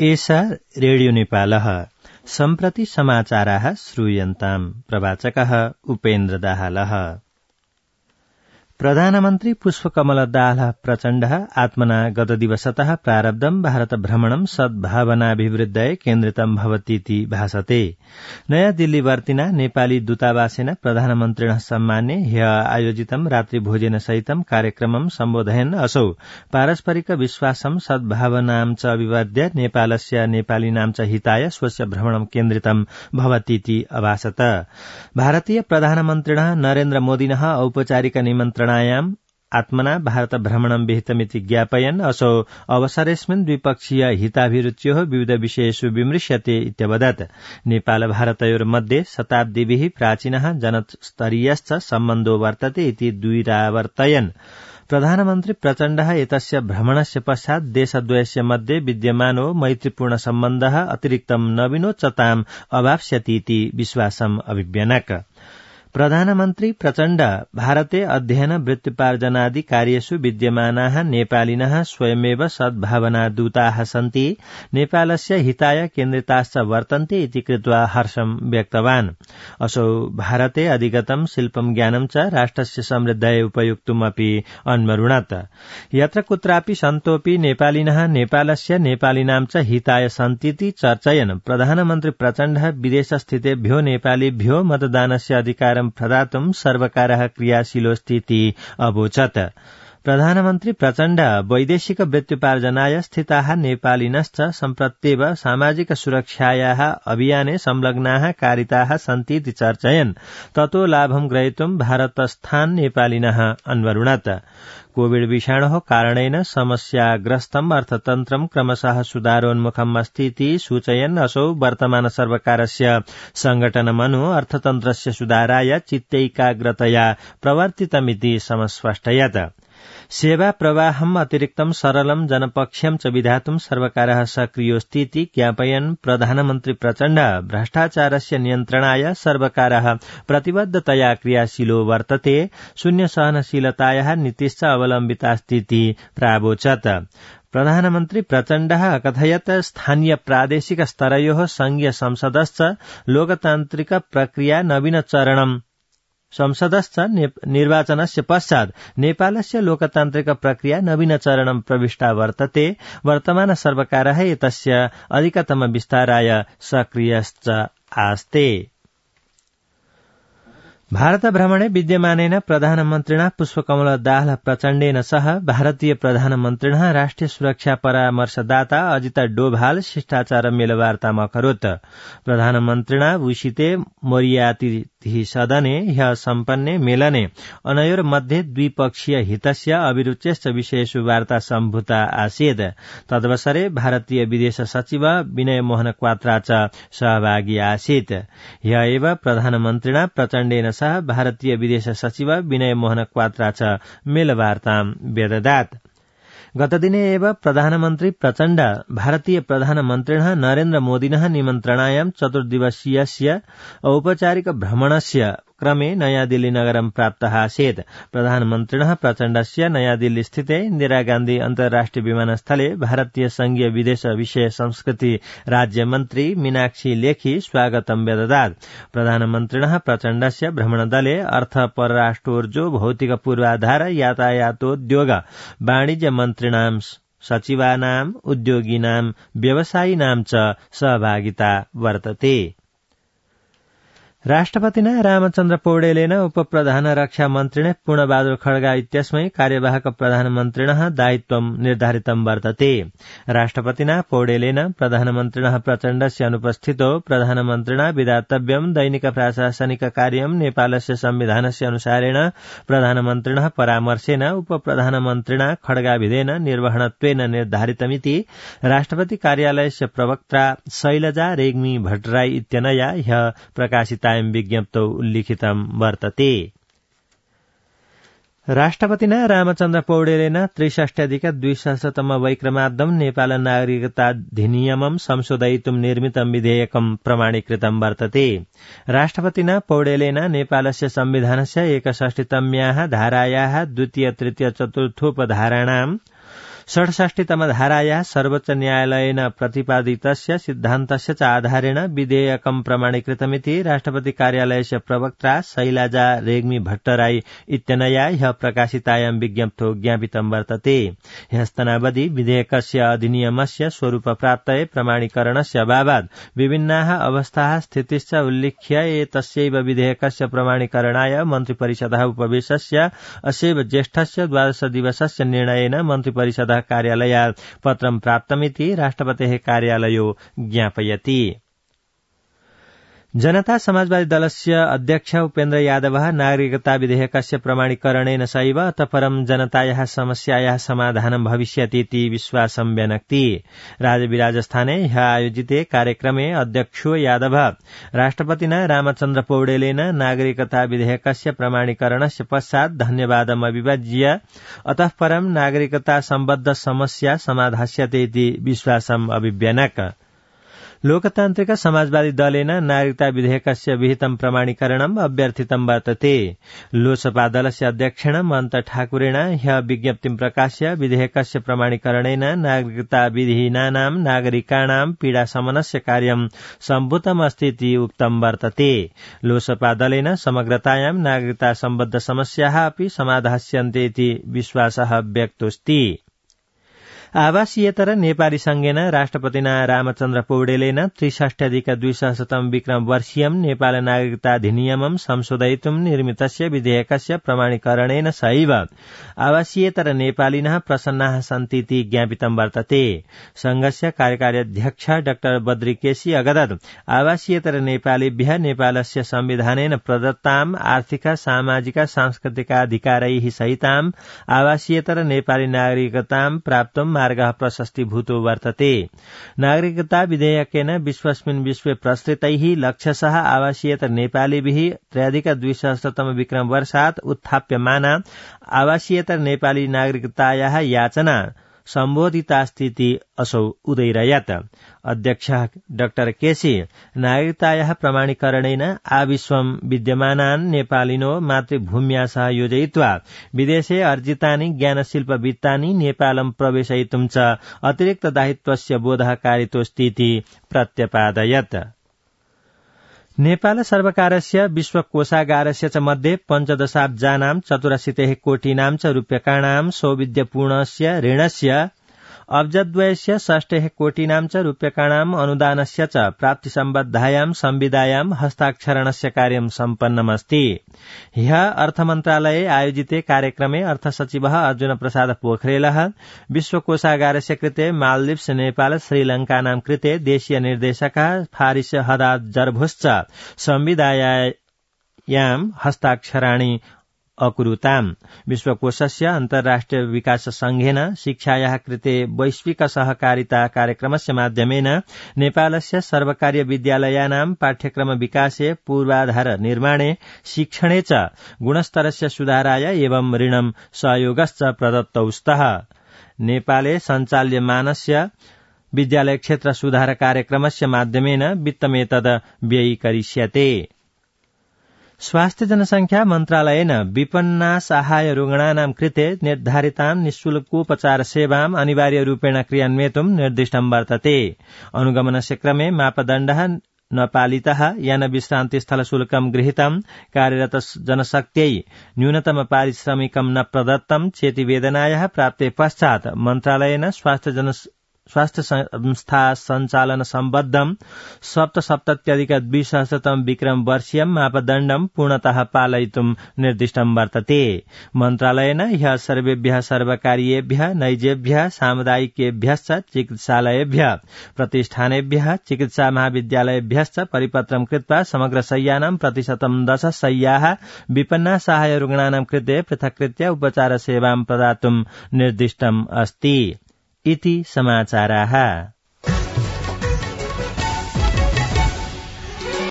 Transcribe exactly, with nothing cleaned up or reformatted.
एषा रेडियो नेपालः सम्प्रति समाचाराः श्रूयन्ताम्। प्रवाचकः उपेन्द्र दाहालः। प्रधानमन्त्री पुष्पकमल दाहाल प्रचण्डः आत्मना गतदिवसतः प्रारब्धं भारत भ्रमणं सद्भावनाभिवृद्धये केन्द्रितं भवतीति भासते। नयाँ दिल्लीवर्तिना नेपाली दूतावासेन प्रधानमन्त्रिणः सम्माने ह्य आयोजितं रात्रिभोजेन सहितं कार्यक्रमं सम्बोधयन् असौ पारस्परिक विश्वासं सद्भावनां च अभिवर्ध्य नेपालस्य नेपालिनां च हिताय स्वस्य भ्रमणं केन्द्रितं भवतीति अभासत। भारतीय प्रधानमन्त्रिणः नरेन्द्र मोदिनः औपचारिक निमन्त्रण आत्मना भारत भ्रमणं विहितमिति ज्ञापयन् असौ अवसरेऽस्मिन् द्विपक्षीय हिताभिरुच्योः विविध विषयेषु विमृश्यते इत्यवदत्। नेपाल भारतयोर्मध्ये शताब्दीभिः प्राचीनः जनस्तरीयश्च सम्बन्धो वर्तते इति द्विरावर्तयन्। प्रधानमन्त्री प्रचण्डः एतस्य भ्रमणस्य पश्चात् देशद्वयस्य मध्ये विद्यमानो मैत्रीपूर्ण सम्बन्धः अतिरिक्तं नवीनोच्चताम् अवाप्स्यतीति विश्वासम् अभिव्यनक। प्रधानमन्त्री प्रचण्ड भारते अध्ययन वृत्तिपार्जनादि कार्येषु विद्यमानाः नेपालिनः स्वयमेव सद्भावनादूताः सन्ति, नेपालस्य हिताय केन्द्रिताश्च वर्तन्ते इति कृत्वा हर्षं व्यक्तवान्। असौ भारते अधिगतं शिल्पं ज्ञानं च राष्ट्रस्य समृद्धये उपयोक्तुमपि अन्वरुणत। यत्र कुत्रापि सन्तोऽपि नेपालिनः नेपालस्य नेपालिनां च हिताय सन्तीति चर्चयन् प्रधानमन्त्री प्रचण्डः विदेशस्थितेभ्यो नेपालीभ्यो मतदानस्य अधिकार प्रदातुं सर्वकारः क्रियाशीलोऽस्तीति अवोचत्। प्रधानमन्त्री प्रचण्ड वैदेशिक वृत्तिपार्जनाय स्थिताः नेपालिनश्च सम्प्रत्येव सामाजिक सुरक्षायाः अभियाने संलग्नाः कारिताः सन्तीति चर्चयन् ततो लाभं ग्रहीतुं भारतस्थान् नेपालिनः अन्वरुणत। कोविड विषाणोः कारणेन समस्याग्रस्तं अर्थतन्त्रं क्रमशः सुधारोन्मुखम् अस्तीति सूचयन् असौ वर्तमान सर्वकारस्य संघटनमनु अर्थतन्त्रस्य सुधाराय चित्तैकाग्रतया प्रवर्तितमिति समस्पष्टयत्। सेवा प्रवाहम् अतिरिक्तं सरलं जनपक्ष्यं च विधातुं सर्वकारः सक्रियोऽस्तीति ज्ञापयन् प्रधानमन्त्री प्रचण्ड भ्रष्टाचारस्य नियन्त्रणाय सर्वकारः प्रतिबद्धतया क्रियाशीलो वर्तते, शून्य सहनशीलतायाः नीतिश्च अवलम्बितास्तीति प्रावोचत्। प्रधानमन्त्री प्रचण्डः अकथयत् स्थानीय प्रादेशिक स्तरयोः संघीय संसदश्च लोकतान्त्रिक प्रक्रिया नवीनचरणम् संसदश्च निर्वाचनस्य पश्चात् नेपालस्य लोकतान्त्रिक प्रक्रिया नवीनचरणं प्रविष्टा वर्तते। वर्तमान सर्वकारः एतस्य अधिकतम विस्ताराय सक्रियश्च आस्ते। भारत भ्रमणे विद्यमानेन प्रधानमन्त्रिणा पुष्पकमल दाहाल प्रचण्डेन सह भारतीय प्रधानमन्त्रिणः राष्ट्रिय सुरक्षा परामर्शदाता अजित डोभाल शिष्टाचार मेलवार्ताम् अकरोत्। प्रधानमन्त्रिणा उषिते मोरियातिः सदने ह्यः सम्पन्ने मेलने अनयोर्मध्ये द्विपक्षीय हितस्य अभिरुच्यश्च विषयेषु वार्ता सम्भूता आसीत्। तदवसरे भारतीय विदेश सचिव विनय मोहन क्वात्रा च सहभागी आसीत्। ह्यः एव प्रधानमन्त्रिणा प्रचण्डेन सह भारतीय विदेश सचिव विनय मोहन क्वात्रा च मेलवार्ताम् व्यददात्। गतदिने एव प्रधानमन्त्री प्रचण्ड भारतीय प्रधानमन्त्रिणः नरेन्द्र मोदिनः निमन्त्रणायां चतुर्दिवसीयस्य औपचारिक भ्रमणस्य क्रमे नयादिल्ली नगरं प्राप्तः आसीत्। प्रधानमन्त्रिणः प्रचण्डस्य नयादिल्ली स्थिते इन्दिरा गान्धी अन्तर्राष्ट्रिय विमानस्थले भारतीय संघीय विदेश विषय संस्कृति राज्यमन्त्री मीनाक्षी लेखी स्वागतं व्यददात्। प्रधानमन्त्रिणः प्रचण्डस्य भ्रमणदले अर्थ परराष्ट्रोर्जो भौतिक पूर्वाधार यातायातोद्योग वाणिज्य मन्त्रिणां सचिवानाम् उद्योगिनां व्यवसायिनां च सहभागिता वर्तते। राष्ट्रपतिना रामचन्द्र पौडेलेन उपप्रधान रक्षा मन्त्रिणे पूर्णबहादुर खड्गा इत्यस्मै कार्यवाहक प्रधानमन्त्रिणः दायित्वं निर्धारितं वर्तते। राष्ट्रपतिना पौडेलेन प्रधानमन्त्रिणः प्रचण्डस्य अनुपस्थितौ प्रधानमन्त्रिणा विधातव्यं दैनिक प्रशासनिक कार्यं नेपालस्य संविधानस्य अनुसारेण प्रधानमन्त्रिणः परामर्शेन उपप्रधानमन्त्रिणा खड्गाभिधेन निर्वहणत्वेन निर्धारितमिति राष्ट्रपति कार्यालयस्य प्रवक्ता शैलजा रेग्मी भट्टराई इत्यनया ह्यः प्रकाशिता विज्ञप्तौ उल्लिखितं वर्तते। राष्ट्रपतिना रामचन्द्र पौडेलेन त्रिषष्ट्यधिक द्विसहस्रतम वैक्रमाब्दं नेपाल नागरिकताधिनियमं संशोधयितुं निर्मितं विधेयकं प्रमाणीकृतं वर्तते। राष्ट्रपतिना पौडेलेन नेपालस्य संविधानस्य एकषष्टितम्याः धारायाः द्वितीय तृतीय चतुर्थोपधाराणां षट्षष्टितम धारायाः सर्वोच्च न्यायालयेन प्रतिपादितस्य सिद्धान्तस्य च आधारेण विधेयकं प्रमाणीकृतमिति राष्ट्रपति कार्यालयस्य प्रवक्त्रा शैलजा रेग्मी भट्टराई इत्यनया ह्यः प्रकाशितायां विज्ञप्तौ ज्ञापितं वर्तते। ह्यस्तनावधि विधेयकस्य अधिनियमस्य स्वरूपप्राप्तये प्रमाणीकरणस्य अभावात् विभिन्नाः अवस्थाः स्थितिश्च उल्लिख्य एतस्यैव विधेयकस्य प्रमाणीकरणाय मन्त्रिपरिषदः उपवेशस्य अस्यैव ज्येष्ठस्य द्वादश दिवसस्य निर्णयेन मन्त्रिपरिषदः कार्यालयात् पत्रं प्राप्तमिति राष्ट्रपतेः कार्यालयो ज्ञापयति। जनता समाजवादी दलस्य अध्यक्ष उपेन्द्र यादवः नागरिकता विधेयकस्य प्रमाणीकरणेन सैव अतः परं जनतायाः समस्यायाः समाधानं भविष्यतीति विश्वासं व्यनक्ति। राजविराजस्थाने ह्यः आयोजिते कार्यक्रमे अध्यक्षो यादवः राष्ट्रपतिना रामचन्द्र पौडेलेन नागरिकता विधेयकस्य प्रमाणीकरणस्य पश्चात् धन्यवादम् अभिव्यज्य अतः परं नागरिकता सम्बद्ध समस्या समाधास्यते इति विश्वासम् अभिव्यनक। लोकतान्त्रिक समाजवादी दलेन नागरिकता विधेयकस्य विहितं प्रमाणीकरणम् अभ्यर्थितं वर्तते। लोसपा दलस्य अध्यक्षेण महन्त ठाकुरेण ह्यः विज्ञप्तिं प्रकाश्य विधेयकस्य प्रमाणीकरणेन नागरिकता विहीनानां नागरिकाणां पीडाशमनस्य कार्यं सम्भूतमस्ति इति उक्तं वर्तते। लोसपा दलेन समग्रतायां नागरिकता सम्बद्ध समस्याः अपि समाधास्यन्ते इति विश्वासः व्यक्तोऽस्ति। आवासीयेतर नेपाली संघेन राष्ट्रपतिना रामचन्द्र पौडेलेन त्रिषष्ट्यधिक द्विसहस्रतम विक्रम वर्षीयं नेपाल नागरिकता अधिनियमं संशोधयितुं निर्मितस्य विधेयकस्य प्रमाणीकरणेन सैव आवासीयेतर नेपालिनः प्रसन्नाः सन्तीति ज्ञापितं वर्तते। संघस्य कार्यकारी अध्यक्ष डाक्टर बद्री केसी अगदत् आवासीयेतर नेपालीभ्यः नेपालस्य संविधानेन प्रदत्ताम् आर्थिक सामाजिक सांस्कृतिकाधिकारैः सहिताम् आवासीयेतर नेपाली नागरिकतां प्राप्तुं मार्गः प्रशस्तीभूतो वर्तते। नागरिकता विधेयकेन विश्वस्मिन् विश्वे प्रसृतैः लक्षशः आवासीयेतर नेपालीभिः त्रयाधिक द्विसहस्रतम विक्रम वर्षात् उत्थाप्यमाना आवासीयेतर नेपाली नागरिकतायाः याचना सम्बोधितास्तीति असौ उदैरयत्। अध्यक्षः डाक्टर केसी नागरिकतायाः प्रमाणीकरणेन आविश्वं विद्यमानान् नेपालिनो मातृभूम्या सह योजयित्वा विदेशे अर्जितानि ज्ञानशिल्पवित्तानि नेपालं प्रवेशयितुं च अतिरिक्त दायित्वस्य बोधः कारितोऽस्तीति प्रत्यपादयत्। नेपाल सर्वकारस्य विश्वकोषागारस्य च मध्ये पञ्चदशाब्जानां चतुरशीतिः कोटीनां च रूप्यकाणां सौविध्यपूर्णस्य ऋणस्य अब्जद्वयस्य षष्ठेः कोटीनां च रूप्यकाणां अनुदानस्य च प्राप्तिसम्बद्धायां संविदायां हस्ताक्षरणस्य कार्यं सम्पन्नमस्ति। ह्यः अर्थमन्त्रालये आयोजिते कार्यक्रमे अर्थसचिवः अर्जुन प्रसाद पोखरेलः विश्वकोषागारस्य कृते मालदीव्स नेपाल श्रीलङ्कानां कृते देशीय निर्देशकः फारिस हदाद जर्भुश्च संविदायां हस्ताक्षराणि अकुरुताम्। विश्वकोषस्य अन्तर्राष्ट्रिय विकास संघेन शिक्षायाः कृते वैश्विक सहकारिता कार्यक्रमस्य माध्यमेन नेपालस्य सर्वकारीय विद्यालयानां पाठ्यक्रम विकासे पूर्वाधार निर्माणे शिक्षणे च गुणस्तरस्य सुधाराय एवं ऋणं सहयोगश्च प्रदत्तौ स्तः। नेपाले सञ्चाल्यमानस्य विद्यालय क्षेत्र सुधार कार्यक्रमस्य माध्यमेन वित्तमेतद् व्ययीकरिष्यते। स्वास्थ्य जनसंख्या मन्त्रालयेन विपन्ना साहाय्य रुग्णानां कृते निर्धारितां निःशुल्कोपचार सेवाम् अनिवार्यरूपेण क्रियान्वयितुं निर्दिष्टं वर्तते। अनुगमनस्य क्रमे मापदण्डः न पालितः यान विश्रान्तिस्थल शुल्कं गृहीतं कार्यरत जनशक्त्यै न्यूनतम पारिश्रमिकं न प्रदत्तं चेति वेदनायाः प्राप्ते पश्चात् मन्त्रालयेन स्वास्थ्य जन स्वास्थ्य संस्था सञ्चालन सम्बद्धं सप्तसप्तत्यधिक द्विसहस्रतम विक्रम वर्षीयं मापदण्डं पूर्णतः पालयितुं निर्दिष्टं वर्तते। मन्त्रालयेन ह्यः सर्वेभ्यः सर्वकारीयेभ्यः नैजेभ्यः सामुदायिकेभ्यश्च चिकित्सालयेभ्यः प्रतिष्ठानेभ्यः चिकित्सा महाविद्यालयेभ्यश्च परिपत्रं कृत्वा समग्र शय्यानां प्रतिशतं दश शय्याः विपन्ना साहाय्य रुग्णानां कृते पृथक्कृत्य उपचार सेवां प्रदातुं निर्दिष्टम् अस्ति इति समाचाराः।